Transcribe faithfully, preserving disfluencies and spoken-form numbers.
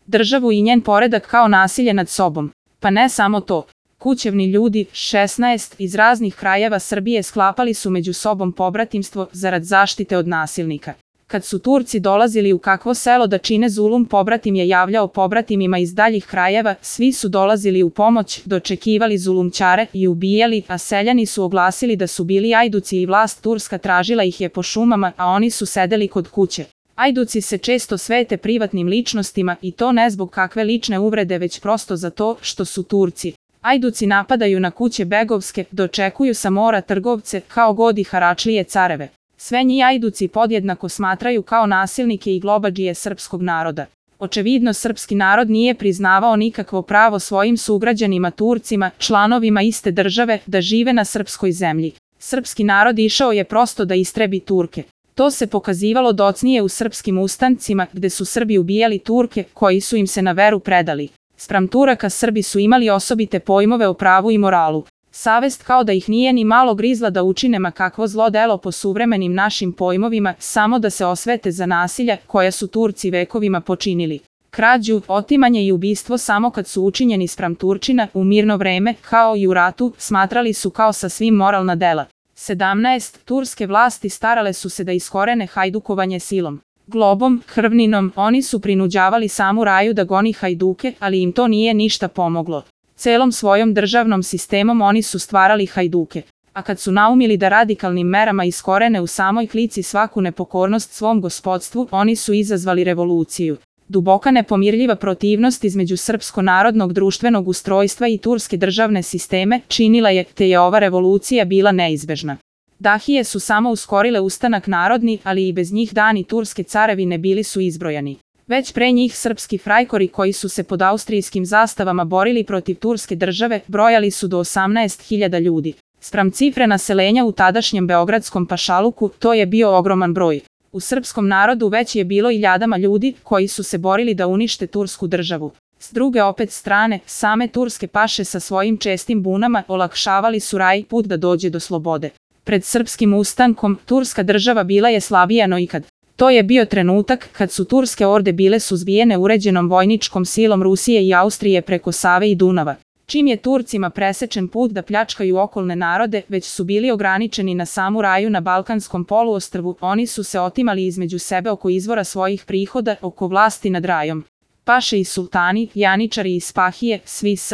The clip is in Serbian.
državu i njen poredak kao nasilje nad sobom. Pa ne samo to. Kućevni ljudi, šesnaest, iz raznih krajeva Srbije sklapali su među sobom pobratimstvo zarad zaštite od nasilnika. Kad su Turci dolazili u kakvo selo da čine zulum, pobratim je javljao pobratimima iz daljih krajeva, svi su dolazili u pomoć, dočekivali zulumčare i ubijali, a seljani su oglasili da su bili ajduci i vlast turska tražila ih je po šumama, a oni su sedeli kod kuće. Ajduci se često svete privatnim ličnostima i to ne zbog kakve lične uvrede, već prosto zato što su Turci. Ajduci napadaju na kuće begovske, dočekuju sa mora trgovce, kao god i haračlije careve. Sve njih ajduci podjednako smatraju kao nasilnike i globadžije srpskog naroda. Očevidno srpski narod nije priznavao nikakvo pravo svojim sugrađanima Turcima, članovima iste države, da žive na srpskoj zemlji. Srpski narod išao je prosto da istrebi Turke. To se pokazivalo docnije u srpskim ustancima, gde su Srbi ubijali Turke, koji su im se na veru predali. Spram Turaka Srbi su imali osobite pojmove o pravu i moralu. Savest kao da ih nije ni malo grizla da učine ma kakvo zlo delo po suvremenim našim pojmovima, samo da se osvete za nasilja koja su Turci vekovima počinili. Krađu, otimanje i ubistvo samo kad su učinjeni spram Turčina, u mirno vreme, kao i u ratu, smatrali su kao sasvim moralna dela. sedamnaest. Turske vlasti starale su se da iskorene hajdukovanje silom. Globom, krvninom, oni su prinuđavali samu Raju da goni hajduke, ali im to nije ništa pomoglo. Celom svojom državnom sistemom oni su stvarali hajduke. A kad su naumili da radikalnim merama iskorene u samoj klici svaku nepokornost svom gospodstvu, oni su izazvali revoluciju. Duboka nepomirljiva protivnost između srpsko-narodnog društvenog ustrojstva i turske državne sisteme činila je, te je ova revolucija bila neizbežna. Dahije su samo uskorile ustanak narodni, ali i bez njih dani turske carevine bili su izbrojani. Već pre njih srpski frajkori koji su se pod austrijskim zastavama borili protiv turske države brojali su do osamnaest hiljada ljudi. Spram cifre naselenja u tadašnjem beogradskom pašaluku, to je bio ogroman broj. U srpskom narodu već je bilo iljadama ljudi koji su se borili da unište tursku državu. S druge opet strane, same turske paše sa svojim čestim bunama olakšavali su Raji put da dođe do slobode. Pred srpskim ustankom, turska država bila je slabija no ikad. To je bio trenutak kad su turske orde bile suzbijene uređenom vojničkom silom Rusije i Austrije preko Save i Dunava. Čim je Turcima presečen put da pljačkaju okolne narode, već su bili ograničeni na samu Raju na Balkanskom poluostrvu, oni su se otimali između sebe oko izvora svojih prihoda, oko vlasti nad Rajom. Paše i sultani, janičari i spahije, svi s